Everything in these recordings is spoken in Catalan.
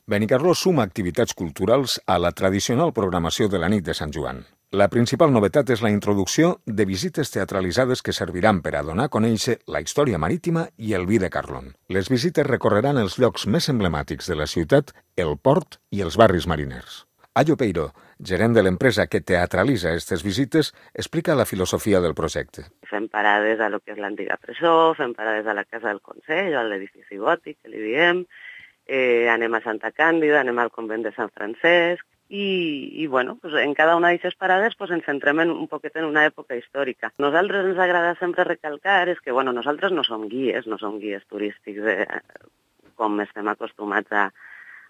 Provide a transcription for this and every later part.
Benicarló suma activitats culturals a la tradicional programació de la nit de Sant Joan. La principal novetat és la introducció de visites teatralitzades que serviran per a donar a conèixer la història marítima i el vi de Carlon. Les visites recorreran els llocs més emblemàtics de la ciutat, el port i els barris mariners. Ayo Peiro, gerent de l'empresa que teatralitza aquestes visites, explica la filosofia del projecte. Fem parades a lo que és l'antiga presó, fem parades a la Casa del Consell, a l'edifici gòtic, que li diem, anem a Santa Càndida, anem al convent de Sant Francesc, i bueno, pues en cada una d'aquestes parades pues ens centrem un poquet en una època històrica. Nosaltres ens agrada sempre recalcar és que bueno, nosaltres no som guies turístics com estem acostumats a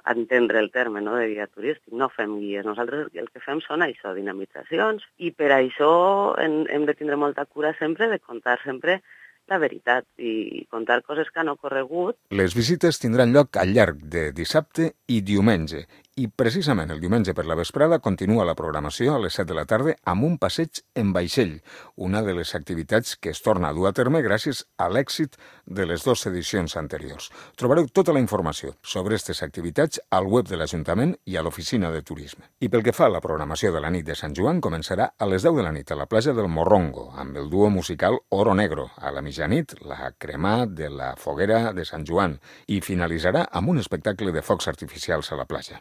entendre el terme de guia turístic, no fem guies. Nosaltres el que fem són això, dinamitzacions, i per això hem de tindre molta cura sempre de contar sempre la veritat i contar coses que han ocorregut. Les visites tindran lloc al llarg de dissabte i diumenge, i precisament el diumenge per la vesprada continua la programació a les 7 de la tarda amb un passeig en vaixell, una de les activitats que es torna a dur a terme gràcies a l'èxit de les 2 edicions anteriors. Trobareu tota la informació sobre aquestes activitats al web de l'Ajuntament i a l'Oficina de Turisme. I pel que fa a la programació de la nit de Sant Joan, començarà a les 10 de la nit a la platja del Morrongo, amb el duo musical Oro Negro, a la mitjanit, la cremà de la foguera de Sant Joan, i finalitzarà amb un espectacle de focs artificials a la platja.